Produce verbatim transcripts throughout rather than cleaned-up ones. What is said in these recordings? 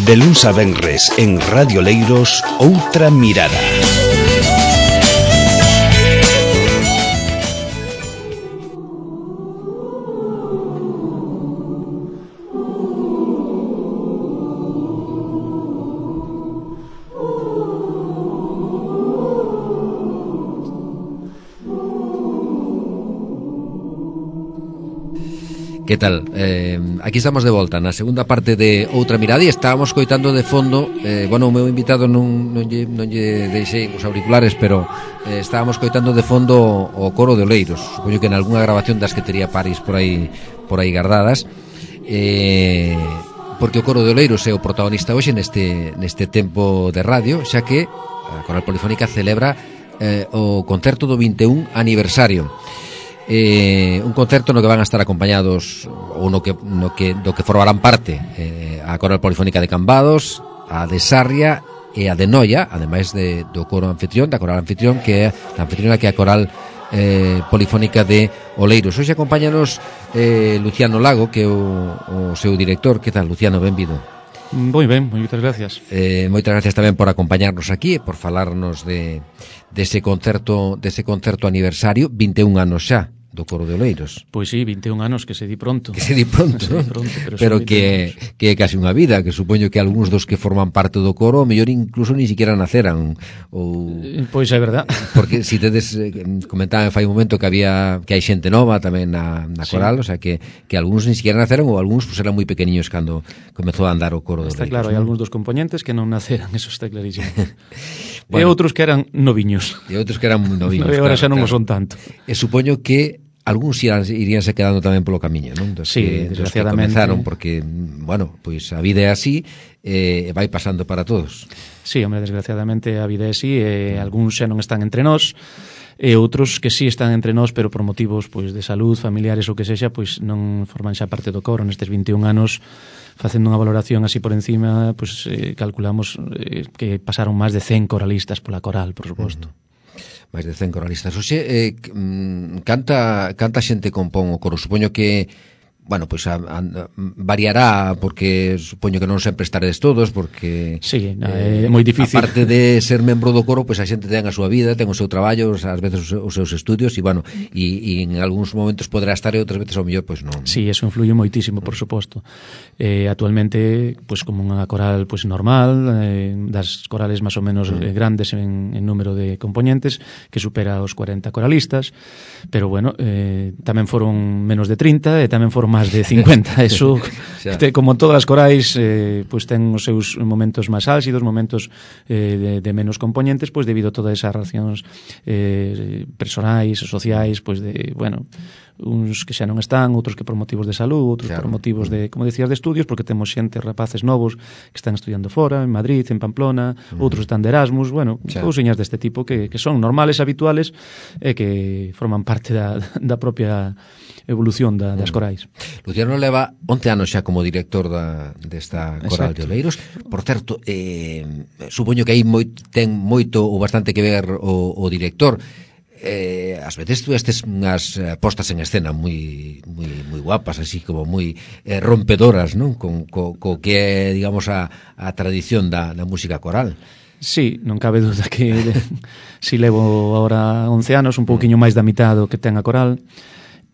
De luns a venres en Radio Leiros, Outra Mirada. Que tal? Eh, aquí estamos de volta na segunda parte de Outra Mirada e estábamos coitando de fondo, eh, bueno, o meu invitado non, non, lle, non lle deixei os auriculares, pero eh, estábamos coitando de fondo o coro de Oleiros. Supoño que en algunha grabación das que tería Paris por aí por aí guardadas, eh, porque o coro de Oleiros é o protagonista hoxe neste, neste tempo de radio, xa que a Coral Polifónica celebra eh, o concerto do vinte e un aniversario. Eh, un concerto no que van a estar acompañados ou no que, no que, do que formarán parte eh, a Coral Polifónica de Cambados, a de Sarria e a de Noia, ademais de, do coro anfitrión, da Coral Anfitrión, que é a anfitriona que é a Coral eh, Polifónica de Oleiros. Hoxe acompáñanos eh, Luciano Lago, que é o, o seu director. Que tal, Luciano? Benvido. Moi ben, moitas gracias. Eh, moitas gracias tamén por acompañarnos aquí e por falarnos de dese concerto, dese concerto aniversario, vinte e un anos xa do coro de Oleiros. Pois sí, vinte e un anos, que se di pronto. Que se di pronto, se ¿no? di pronto pero, pero que, que é casi unha vida, que supoño que algúns dos que forman parte do coro, mellor incluso ni siquiera naceran. Ou... Pois é verdad. Porque si tedes, comentaban fai un momento que había que hai xente nova tamén na, na coral, sí. O sea que, que algúns ni siquiera naceran, ou algúns pues, eran moi pequeniños cando comezou a andar o coro de Oleiros. Está claro, hai algúns dos componentes que non naceran, eso está clarísimo. Bueno, e outros que eran noviños. E outros que eran moi noviños. E agora claro, xa non claro. o son tanto. E supoño que algúns iríanse quedando tamén polo camiño, non? Dos sí, que, desgraciadamente. Dos que comenzaron, porque, bueno, pois a vida é así, e eh, vai pasando para todos. Sí, hombre, desgraciadamente a vida é así, e eh, algúns xa non están entre nós, e outros que sí están entre nós, pero por motivos pois de salud, familiares ou que sexa, pois non forman xa parte do coro. Nestes vinte e un anos, facendo unha valoración así por encima, pois eh, calculamos eh, que pasaron máis de cen coralistas pola coral, por suposto. Uh-huh. Máis de cen coralistas. Oxe, eh, canta, canta xente compón o coro? Supoño que, bueno, pois pues, a, a, variará, porque supoño que non sempre estaredes todos, porque sí, eh, é moi difícil. Aparte de ser membro do coro, pois pues, a xente ten a súa vida, ten o seu traballo, ás veces os seus estudios, e bueno, e, e en algúns momentos poderá estar e outras veces ao mellor pois pues, non. Sí, eso influye moitísimo, por suposto. Eh, actualmente, pois pues, como unha coral pois pues, normal, eh, das corales máis ou menos mm. grandes en, en número de componentes, que supera os cuarenta coralistas, pero bueno, eh, tamén foron menos de trinta e tamén foron máis de cincuenta. Eso, te, como todas as corais, eh, pues ten os seus momentos máis álxidos, momentos eh, de, de menos componentes, pues debido a todas esas relacións eh, personais, sociais, pues de, bueno, uns que xa non están, outros que por motivos de salud, outros claro. por motivos de, como decías, de estudios, porque temos xente, rapaces novos que están estudiando fora, en Madrid, en Pamplona, uh-huh. outros están de Erasmus, bueno, claro. cousiñas deste tipo que, que son normales, habituales, e que forman parte da, da propia evolución da, das corais. Luciano leva once anos xa como director da, desta coral Exacto. de Oleiros. Por certo, eh, supoño que aí moi, ten moito ou bastante que ver o, o director. Eh, ás veces tú estes unhas postas en escena moi moi moi guapas, así como moi eh, rompedoras, non? Con co, co que é, digamos, a, a tradición da, da música coral. Sí, non cabe duda que si levo agora once anos, un pouquiño máis da mitad do que ten a coral.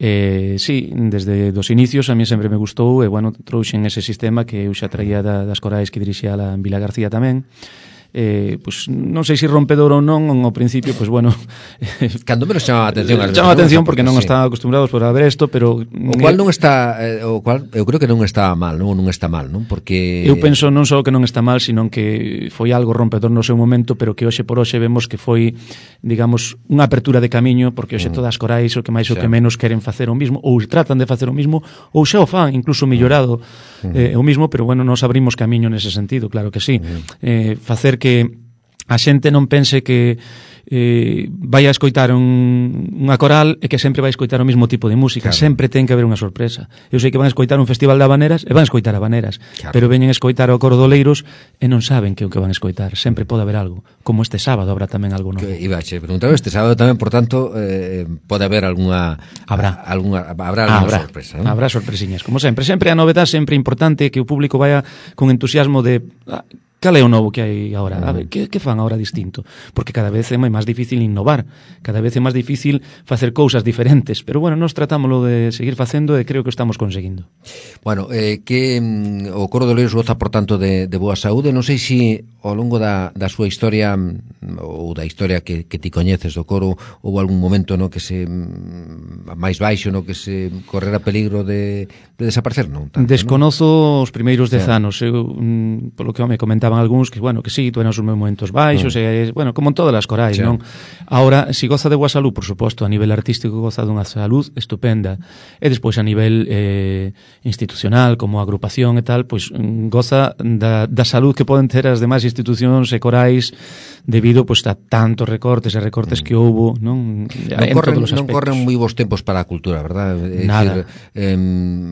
Eh, sí, desde dos inicios a mí sempre me gustou e, bueno, trouxen ese sistema que eu xa traía da, das corais que dirixía a Vila García tamén. Eh, pues, non sei se rompedor ou non, ao principio, pues bueno, cando menos chama a atención, chama a atención porque non sí. está acostumbrados por a ver isto, pero o cual non está, eh, o cual eu creo que non está mal, non, non está mal, non? Porque eu penso non só que non está mal, sino que foi algo rompedor no seu momento, pero que hoxe por hoxe vemos que foi, digamos, unha apertura de camiño, porque hoxe mm. todas as corais o que máis o que menos queren facer o mismo, ou tratan de facer o mismo, ou xa o fan, incluso mellorado mm. eh, o mismo, pero bueno, nos abrimos camiño nese sentido, claro que sí. Mm. Eh, facer que a xente non pense que eh, vai a escoitar un, unha coral e que sempre vai a escoitar o mesmo tipo de música, claro. Sempre ten que haber unha sorpresa. Eu sei que van a escoitar un festival de habaneras e van a escoitar habaneras, claro. Pero veñen a escoitar o coro de Oleiros e non saben que é o que van a escoitar. Sempre pode haber algo, como este sábado habrá tamén algo novo. Iba a che preguntar, este sábado tamén, por tanto, eh, pode haber algunha habrá algunha habrá algunha habrá, sorpresa, ¿no? Habrá sorpresiñas, como sempre. Sempre a novedade, sempre importante que o público vaya con entusiasmo de ah, cal é o novo que hai agora? A ver, que, que fan agora distinto? Porque cada vez é máis difícil innovar, cada vez é máis difícil facer cousas diferentes, pero bueno, nós tratámoslo de seguir facendo e creo que o estamos conseguindo. Bueno, eh, que mm, o Coro de Oleiros goza, por tanto, de, de boa saúde. Non sei se ao longo da, da súa historia ou da historia que, que ti coñeces do coro houve algún momento no que se mm, máis baixo, no que se correra peligro de, de desaparecer, non? Tanto, Desconozo non? Os primeiros dez yeah. anos, eu, mm, polo que me comentaban algúns que, bueno, que sí, tuveron os meus momentos baixos, mm. e, bueno, como en todas as corais, yeah. non? Ahora, si goza de boa salud, por suposto, a nivel artístico goza dunha salud estupenda, e despois a nivel eh, institucional, como agrupación e tal, pois goza da, da salud que poden ter as demais institucións e corais debido pois a tantos recortes e recortes mm. que houbo, non? Non corren, non corren moi bons tempos para a cultura, verdad? É Nada. Decir, eh,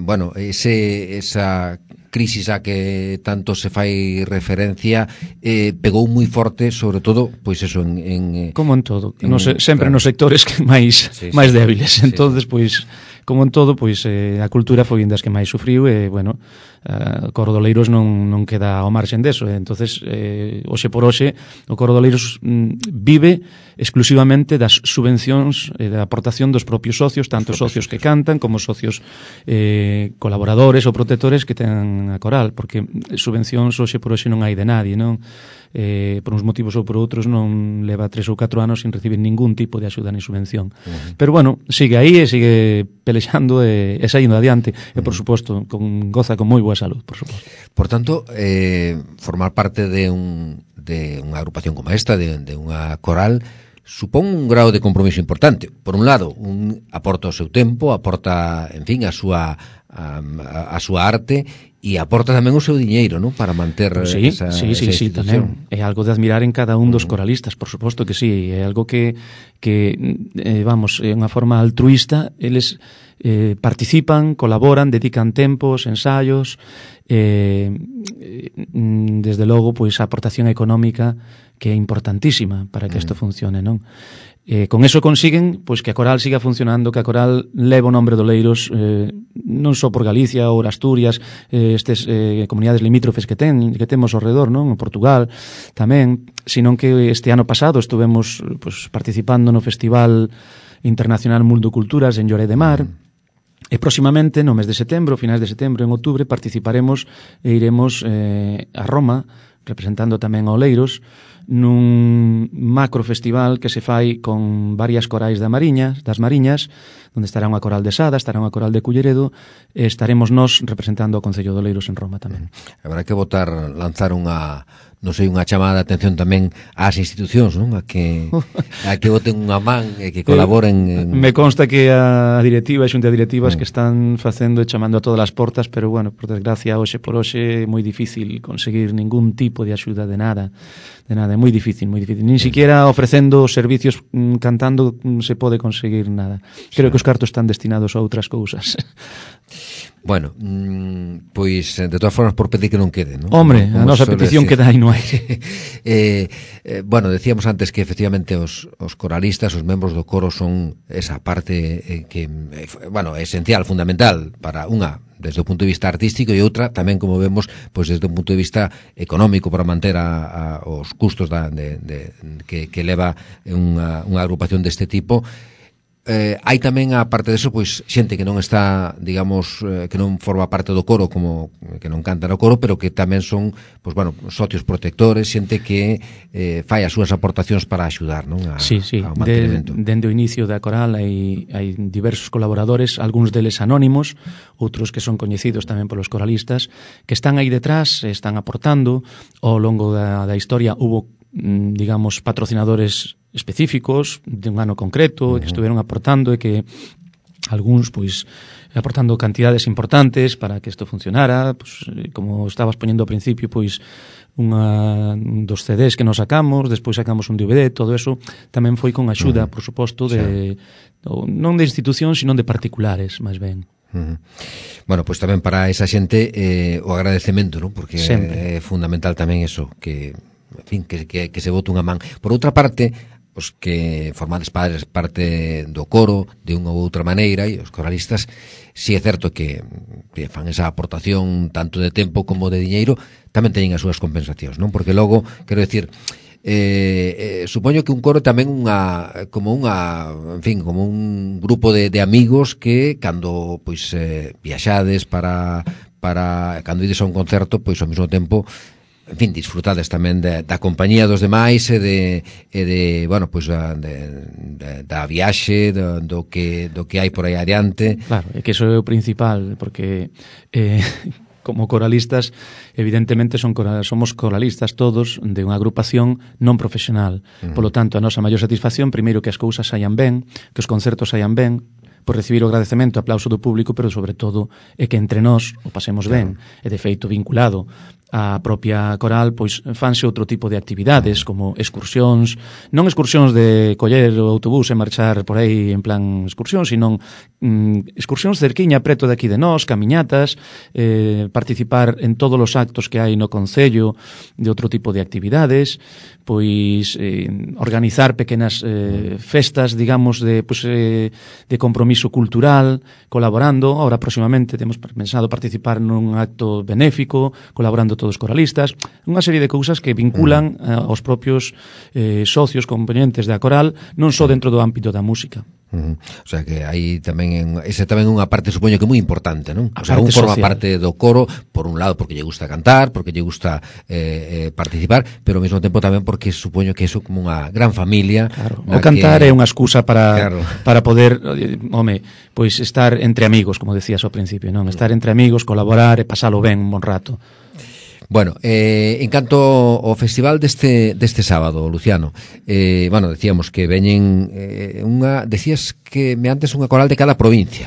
bueno, ese esa crisis a que tanto se fai referencia eh, pegou moi forte, sobre todo, pois eso, en... en como en todo, en, no se, sempre claro. Nos sectores que máis sí, máis sí, débiles, sí, entonces, sí. Pois, como en todo, pois eh, a cultura foi das que máis sufriu e, bueno, Uh, o Coro de Oleiros non, non queda ao marxen deso, entonces eh, hoxe por hoxe o Coro de Oleiros mm, vive exclusivamente das subvencións e da aportación dos propios socios, tanto socios que cantan como socios eh, colaboradores ou protectores que ten a coral, porque subvencións hoxe por hoxe non hai de nadie, non? Eh, por uns motivos ou por outros non leva tres ou catro anos sin recibir ningún tipo de axuda ni subvención, uh-huh. Pero bueno, sigue aí e sigue pelexando e, e saindo adiante, uh-huh. E por suposto con, goza con moi boa salud, por suposto. Por tanto, eh, formar parte de un de unha agrupación como esta, de, de unha coral, supón un grado de compromiso importante. Por un lado, un aporta o seu tempo, aporta, en fin, a súa a, a, a súa arte e aporta tamén o seu diñeiro, ¿no? Para manter pues sí, esa, sí, sí, esa sí, tamén. É algo de admirar en cada un dos coralistas, por suposto que sí, é algo que que eh, vamos, é unha forma altruista, eles eh, participan, colaboran, dedican tempos, ensayos, eh, desde logo, pois a aportación económica que é importantísima para que isto funcione, non? Eh, con eso consiguen pois que a coral siga funcionando, que a coral leve o nombre de Oleiros eh, non só por Galicia ou Asturias, eh, estes eh, comunidades limítrofes que ten, que temos ao redor, non? En Portugal tamén, senón que este ano pasado estuvemos pois, participando no Festival Internacional Mundo Culturas en Lloret de Mar. E próximamente, no mes de setembro, finais de setembro, en outubro, participaremos e iremos eh, a Roma, representando tamén a Oleiros, nun macro festival que se fai con varias corais da Mariña, das Mariñas, onde estará unha coral de Sada, estará unha coral de Culleredo, e estaremos nós representando o Concello de Oleiros en Roma tamén. Habrá que votar, lanzar unha, non sei, unha chamada de atención tamén ás institucións, non? A que a que voten unha man e que colaboren en... Me consta que a directiva e xunta de directivas mm. que están facendo e chamando a todas as portas, pero bueno, por desgracia, hoxe por hoxe é moi difícil conseguir ningún tipo de axuda de nada, de nada, é moi difícil, moi difícil. Ni siquiera ofrecendo servicios mm, cantando mm, se pode conseguir nada. Creo que os cartos están destinados a outras cousas. Bueno, mmm, pois de todas formas por pedir que non quede, ¿no? Hombre, a nosa petición queda aí no aire. eh, eh, bueno, decíamos antes que efectivamente os, os coralistas, os membros do coro son esa parte eh, que, eh, bueno, esencial, fundamental para unha desde o punto de vista artístico e outra tamén, como vemos, pois desde un punto de vista económico para manter a, a, os custos da, de, de, que, que leva unha, unha agrupación deste tipo. Eh, hai tamén, a parte deso, pois xente que non está, digamos, eh, que non forma parte do coro, como que non canta no coro, pero que tamén son, pois bueno, socios protectores, xente que eh, fai as súas aportacións para axudar, non? A, sí, sí. ao mantenimento. De, dende o inicio da coral hai, hai diversos colaboradores, algúns deles anónimos, outros que son coñecidos tamén polos coralistas, que están aí detrás, están aportando. Ao longo da, da historia hubo, digamos, patrocinadores específicos de un ano concreto, uh-huh. que estuveron aportando e que algúns, pois, aportando cantidades importantes para que isto funcionara, pois, como estabas poñendo ao principio, pois, unha dos C Ds que nos sacamos, despois sacamos un D V D, todo eso tamén foi con axuda, por suposto, de, sí. non de institucións, sino de particulares, máis ben. Uh-huh. Bueno, pois pues tamén para esa xente eh, o agradecemento, non? Porque sempre. É fundamental tamén eso, que, en fin, que, que, que se bote unha man. Por outra parte, os que formades padres parte do coro de unha ou outra maneira, e os coralistas, si é certo que, que fan esa aportación tanto de tempo como de diñeiro, tamén teñen as súas compensacións, non? Porque logo, quero decir, eh, eh, supoño que un coro tamén unha como unha, en fin, como un grupo de, de amigos que cando pois eh, viaxades para para cando ides a un concerto, pois ao mesmo tempo, en fin, disfrutades tamén de, da compañía dos demais e de, e de bueno, pois de, de, da viaxe, do, do que do que hai por aí adiante. Claro, é que iso é o principal, porque eh como coralistas, evidentemente son coral, somos coralistas todos de unha agrupación non profesional. Uh-huh. Polo tanto, a nosa maior satisfacción, primeiro que as cousas saian ben, que os concertos saian ben, por recibir o agradecemento, aplauso do público, pero sobre todo é que entre nós o pasemos ben. E de feito vinculado a propia coral, pois fanse outro tipo de actividades, como excursións, non excursións de coller o autobús e marchar por aí en plan excursión, sino mm, excursións cerquiña preto de aquí de nós, camiñatas, eh, participar en todos os actos que hai no concello de outro tipo de actividades, pois eh, organizar pequenas eh, festas, digamos, de, pois, eh, de compromiso cultural, colaborando. Ahora, próximamente, temos pensado participar nun acto benéfico, colaborando todos os coralistas, unha serie de cousas que vinculan uh, aos propios eh, socios, componentes da coral, non só dentro do ámbito da música. Uh-huh. O sea que aí tamén esa tamén unha parte, supoño que moi importante, non? O sea, un forma social. Parte do coro, por un lado porque lle gusta cantar, porque lle gusta eh, eh, participar, pero ao mesmo tempo tamén porque supoño que iso como unha gran familia. Claro. O cantar que... é unha excusa para claro. para poder, home, pois estar entre amigos, como decías ao principio, non? Estar entre amigos, colaborar e pasalo ben un bon rato. Bueno, eh, en canto ao festival deste deste sábado, Luciano, eh, bueno, decíamos que veñen eh, unha, decías que me antes unha coral de cada provincia.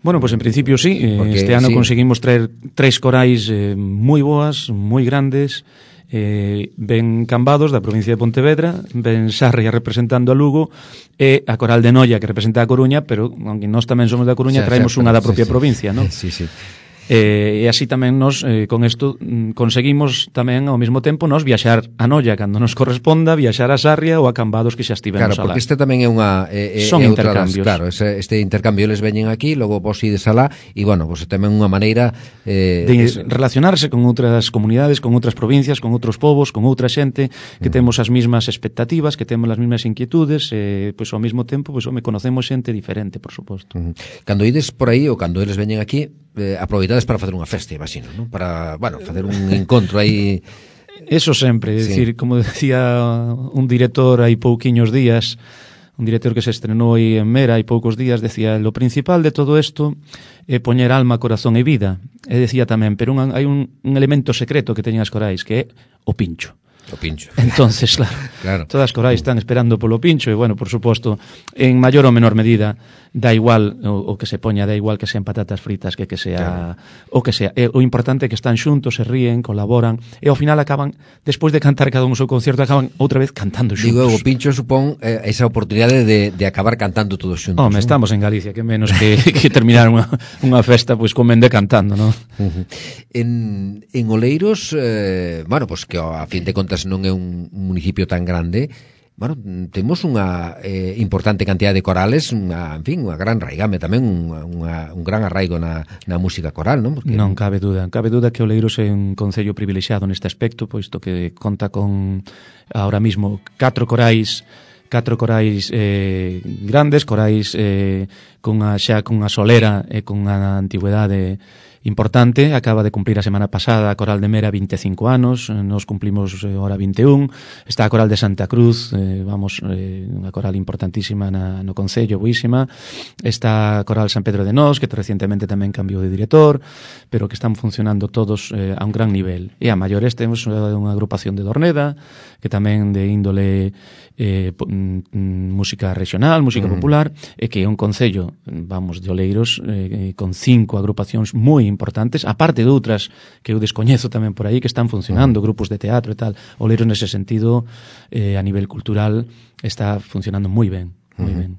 Bueno, pues en principio sí, porque, este ano sí. Conseguimos traer tres corais eh, moi boas, moi grandes, eh, ben Cambados da provincia de Pontevedra, ben Sarria representando a Lugo e a coral de Noia que representa a Coruña, pero aunque nós tamén somos da Coruña, o sea, traemos unha da propia sí, provincia, sí. ¿No? Sí, sí. Eh, e así tamén nos, eh, con isto, mm, conseguimos tamén ao mesmo tempo nos viaxar a Noia cando nos corresponda, viaxar a Sarria ou a Cambados que xa estivemos alá. Claro, porque este tamén é unha... Eh, Son é intercambios. Das, claro, ese, este intercambio les veñen aquí, logo vos ides alá, e bueno, pues tamén unha maneira... Eh, de es... relacionarse con outras comunidades, con outras provincias, con outros povos, con outra xente, que uh-huh. temos as mesmas expectativas, que temos as mesmas inquietudes, e, pois ao mesmo tempo, pois, home, conocemos xente diferente, por suposto. Uh-huh. Cando ides por aí, ou cando eles veñen aquí, eh, aproveitades para facer unha festa, imagino, ¿no? Para, bueno, facer un encontro aí. Eso sempre, é sí. Dicir, como decía un director hai pouquiños días, un director que se estrenou aí en Mera hai poucos días, decía, lo principal de todo isto é poñer alma, corazón e vida. E decía tamén, pero un, hai un, un elemento secreto que teñen as corais, que é o pincho. O pincho. Entonces, claro, claro, todas as corais están esperando polo pincho e, bueno, por suposto, en maior ou menor medida, dá igual o, o que se poña, dá igual que sean patatas fritas que que sea claro. O que sea. E, o importante é que están xuntos, se ríen, colaboran e ao final acaban, despois de cantar cada un o seu concierto, acaban outra vez cantando xuntos. Digo, o pincho supón eh, esa oportunidade de, de acabar cantando todos xuntos. Home, ¿no? Estamos en Galicia, que menos que, que terminar unha, unha festa pois pues, comende cantando, non? Uh-huh. En, en Oleiros, eh, bueno, pues que a fin de contas non é un municipio tan grande, bueno, temos unha eh, importante cantidad de corales, unha, en fin, unha gran raigame tamén, unha, unha, un gran arraigo na, na música coral, non? Porque... Non cabe duda, cabe duda que Oleiros é un concello privilexiado neste aspecto, posto que conta con ahora mismo catro corais catro corais eh, grandes, corais eh, con a, xa con a solera e con a antigüedade importante. Acaba de cumplir a semana pasada a Coral de Mera vinte e cinco anos, nos cumplimos eh, ahora vinte e un. Está a Coral de Santa Cruz, eh, vamos, eh, unha coral importantísima na, no Concello, buísima. Está a Coral San Pedro de Nós, que recientemente tamén cambiou de director, pero que están funcionando todos eh, a un gran nivel. E a maiores temos unha agrupación de Dorneda, que tamén de índole eh, música regional, música popular, e que é un concello, vamos, de Oleiros, eh, con cinco agrupacións moi importantes, aparte de outras que eu descoñezo tamén por aí, que están funcionando, grupos de teatro e tal. Oleiros, nese sentido, eh, a nivel cultural, está funcionando moi ben. Moi ben.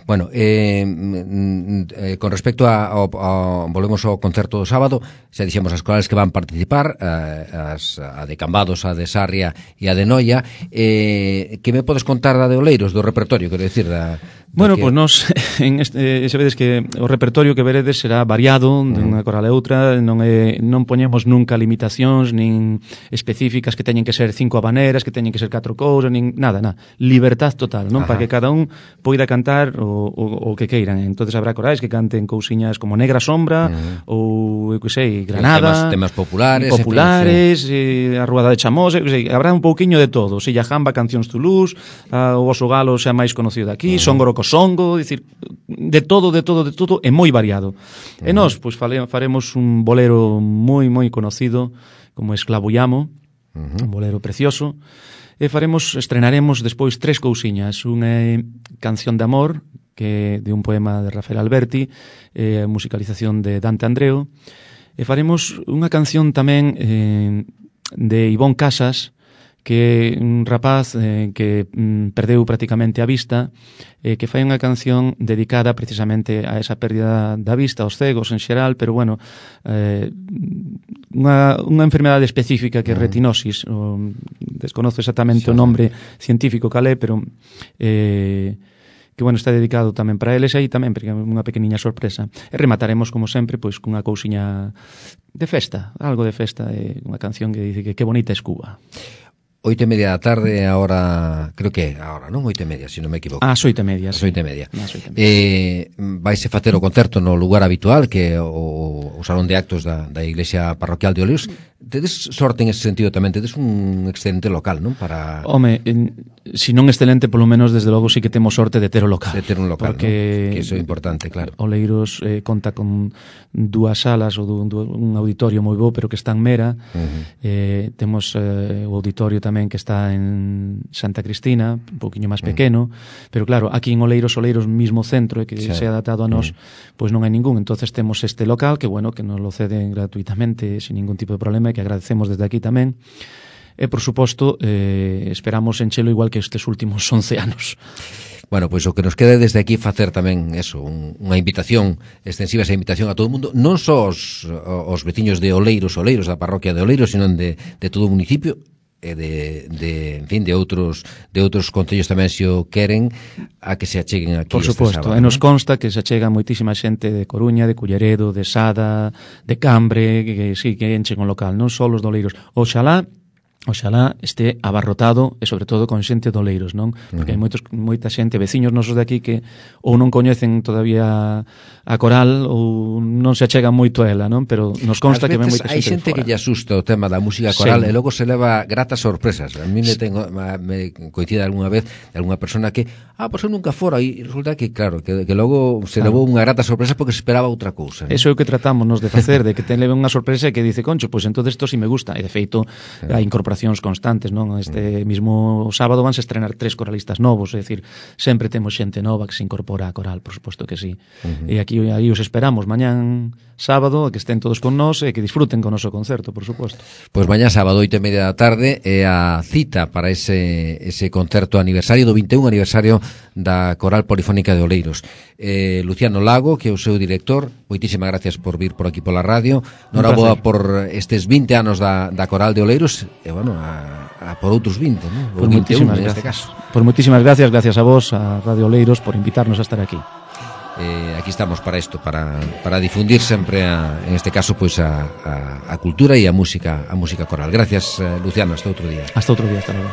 Bueno, eh, eh, con respecto a, a, a volvemos ao concerto do sábado, xa dixemos as corales que van participar, eh, as, a de Cambados, a de Sarria e a de Noia. Eh, que me podes contar da de Oleiros, do repertorio, quero dicir, da, da bueno, que... pois pues nos en este, se vedes que o repertorio que veredes será variado de unha coral a outra, non é, non poñemos nunca limitacións nin específicas que teñen que ser cinco habaneras, que teñen que ser catro cousas, nin nada, nada, libertad total, non? Ajá. Para que cada un poida cantar o, o, o que queiran. Entonces habrá corais que canten cousiñas como Negra Sombra, uh-huh. ou, eu que sei, Granada, temas, temas populares, populares, en fin, sí. eh, a Ruada de Chamós, eu que sei, habrá un pouquiño de todo. Silla Jamba, Cancións Toulouse, a, o Oso Galo xa máis conocido daqui, uh-huh. Songoro co Songo, dicir, de todo, de todo, de todo, é moi variado. Uh-huh. E nós, pois, fale, faremos un bolero moi, moi conocido, como Esclavo Llamo, uh-huh. un bolero precioso. E faremos, estrenaremos despois tres cousiñas. Unha Canción de Amor, que de un poema de Rafael Alberti, eh, musicalización de Dante Andreu. E faremos unha canción tamén eh, de Ivón Casas, que é un rapaz eh, que mm, perdeu prácticamente a vista, eh, que fai unha canción dedicada precisamente a esa pérdida da vista, aos cegos en xeral, pero bueno, eh, unha, unha enfermedade específica que é retinosis, o, desconozo exactamente sí, o nombre científico cal é, pero eh, que bueno, está dedicado tamén para eles, aí tamén porque é unha pequeniña sorpresa. E remataremos, como sempre, pois cunha cousiña de festa, algo de festa, eh, unha canción que dice que que bonita es Cuba. Oito e media da tarde, ahora, creo que ahora, non? Oito e media, se non me equivoco. Ah, oito e media, sí. Oito e media. Ah, media. Eh, vaise facer o concerto no lugar habitual, que é o, o Salón de Actos da, da Iglesia Parroquial de Oleiros. Tedes sorte en ese sentido tamén, tedes un excelente local, non? Para... Home, en, si non excelente, polo menos, desde logo, sí que temos sorte de ter o local. De ter un local, porque, ¿no? Que iso é importante, claro. Oleiros eh, conta con dúas salas ou dun, un auditorio moi bo, pero que está en Mera. Uh-huh. eh, temos eh, o auditorio tamén que está en Santa Cristina, un poquinho máis pequeno, uh-huh. pero claro, aquí en Oleiros, Oleiros mismo centro, que sí. se ha adaptado a nós, uh-huh. pois non hai ningún. Entonces temos este local que, bueno, que nos lo ceden gratuitamente, sin ningún tipo de problema, e que agradecemos desde aquí tamén. E, por suposto, eh, esperamos enchelo igual que estes últimos once anos. Bueno, pois o que nos queda desde aquí facer tamén eso, un, unha invitación extensiva, esa invitación a todo o mundo, non só os, os veciños de Oleiros, Oleiros, da parroquia de Oleiros, sino de, de todo o municipio, e de, de, en fin, de outros de outros concellos tamén se o queren, a que se acheguen aquí. Por suposto, e nos consta que se achega moitísima xente de Coruña, de Culleredo, de Sada, de Cambre, que, que sí, que enchen o local, non só os de Oleiros. Oxalá Oxalá este abarrotado e sobre todo con xente de Oleiros, non? Porque uh-huh. hai moitos, moita xente, veciños nosos de aquí que ou non coñecen todavía a coral ou non se achegan moito a ela, non? Pero nos consta que ven moita xente. Hai xente que lle asusta o tema da música coral sí. e logo se leva gratas sorpresas. A mí me, tengo, me coincide algunha vez de algunha persona que, ah, pois eu nunca fora, e resulta que, claro, que, que logo se claro. levou unha grata sorpresa porque se esperaba outra cousa. Eso é o que tratamos nos de facer, de que te leve unha sorpresa e que dice, concho, pois entonces isto si me gusta. E de feito, sí. a incorporación constantes, non? Este mismo sábado vanse estrenar tres coralistas novos, é dicir, sempre temos xente nova que se incorpora a coral, por suposto que sí. Uh-huh. E aquí aí os esperamos mañán sábado, que estén todos con nós e que disfruten con o noso concerto, por suposto. Pois mañán sábado, oito e media da tarde, é a cita para ese ese concerto aniversario do vinte e un aniversario da Coral Polifónica de Oleiros. Eh, Luciano Lago, que é o seu director, moitísimas gracias por vir por aquí pola radio. Noraboa por estes vinte anos da, da Coral de Oleiros, e bueno, a, a por outros vinte, ¿no? Por moitísimas gracias. Caso. Por moitísimas gracias, gracias a vos, a Radio Oleiros, por invitarnos a estar aquí. Eh, aquí estamos para isto, para, para difundir sempre a, en este caso pois a, a, a cultura e a música a música coral. Gracias, eh, Luciano, hasta outro día. Hasta outro día, hasta luego.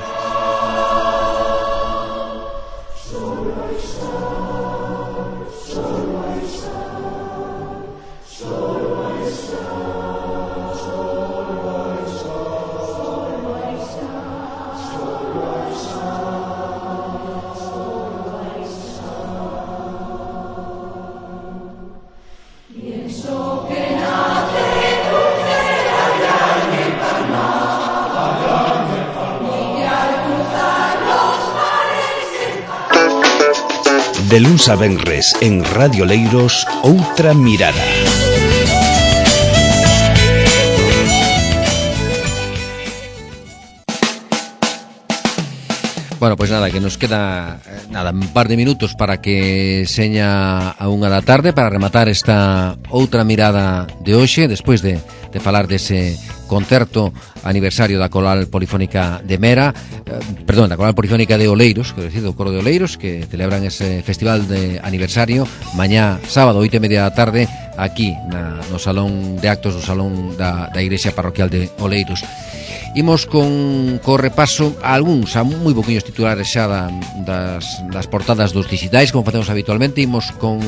Solo De luns a venres en Radio Leiros, Outra Mirada. Bueno, pois pues nada, que nos queda nada, un par de minutos para que seña a unha da tarde para rematar esta outra mirada de hoxe, despois de, de falar dese concerto aniversario da Coral Polifónica de Mera, eh, perdón, da Coral Polifónica de Oleiros, quero decir, do Coro de Oleiros, que celebran ese festival de aniversario mañá sábado, oito e media da tarde, aquí na, no salón de actos do salón da, da Igrexa Parroquial de Oleiros. Imos con co repaso a algúns, a moi poquinhos titulares xa da, das, das portadas dos digitais, como facemos habitualmente. Imos con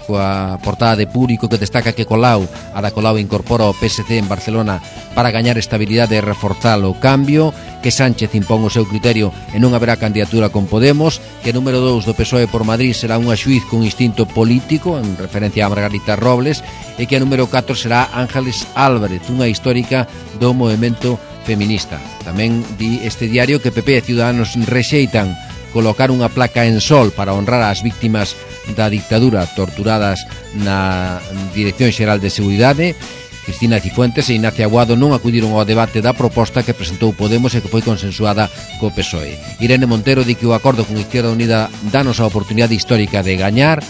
coa portada de Público, que destaca que Colau, a da Colau incorpora o P S C en Barcelona para gañar estabilidade e reforzar o cambio, que Sánchez impón o seu criterio e non haberá candidatura con Podemos, que número dous do P S O E por Madrid será unha xuiz con instinto político, en referencia a Margarita Robles, e que a número catro será Ángeles Álvarez, unha histórica do movemento feminista. Tamén di este diario que P P e Ciudadanos rexeitan colocar unha placa en Sol para honrar as víctimas da dictadura torturadas na Dirección Xeral de Seguridade. Cristina Cifuentes e Ignacia Aguado non acudiron ao debate da proposta que presentou Podemos e que foi consensuada co P S O E. Irene Montero di que o acordo con Izquierda Unida danos a oportunidade histórica de gañar.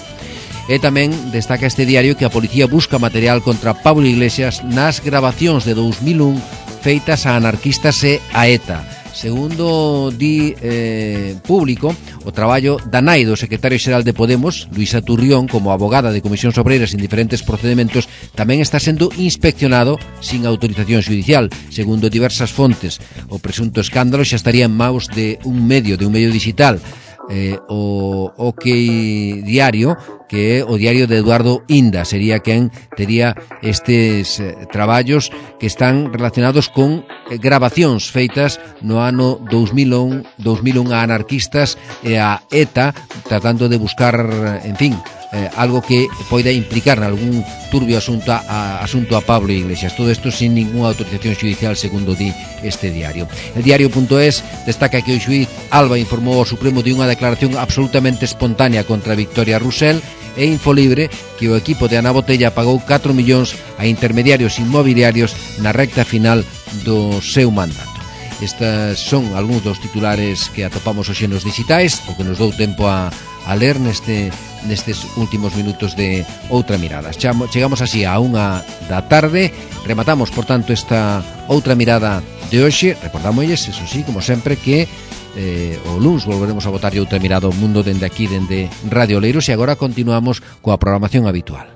E tamén destaca este diario que a policía busca material contra Pablo Iglesias nas grabacións de dous mil un feitas a anarquistas e a ETA. Segundo di eh, Público, o traballo da nai do secretario xeral de Podemos, Luisa Turrión, como abogada de comisións obreiras en diferentes procedementos, tamén está sendo inspeccionado sin autorización judicial. Segundo diversas fontes, o presunto escándalo xa estaría en maus de un medio, de un medio digital, eh, o OK Diario, que é o diario de Eduardo Inda, sería quen tería estes eh, traballos que están relacionados con eh, grabacións feitas no ano dous mil un a anarquistas e a ETA, tratando de buscar, en fin, eh, algo que poida implicar en algún turbio asunto a, asunto a Pablo Iglesias. Todo isto sin ninguna autorización judicial, segundo di este diario. El diario.es destaca que o xuiz Alba informou ao Supremo de unha declaración absolutamente espontánea contra Victoria Rusell, e Infolibre que o equipo de Ana Botella pagou catro millóns a intermediarios inmobiliarios na recta final do seu mandato. Estas son algúns dos titulares que atopamos hoxe nos digitais, o que nos dou tempo a, a ler neste, nestes últimos minutos de Outra Mirada. Chegamos así a unha da tarde, rematamos, por tanto, esta Outra Mirada de hoxe. Recordámosles, eso sí, como sempre, que Eh, o luns volveremos a botar outra mirada ao mundo dende aquí, dende Radio Oleiros, e agora continuamos coa programación habitual.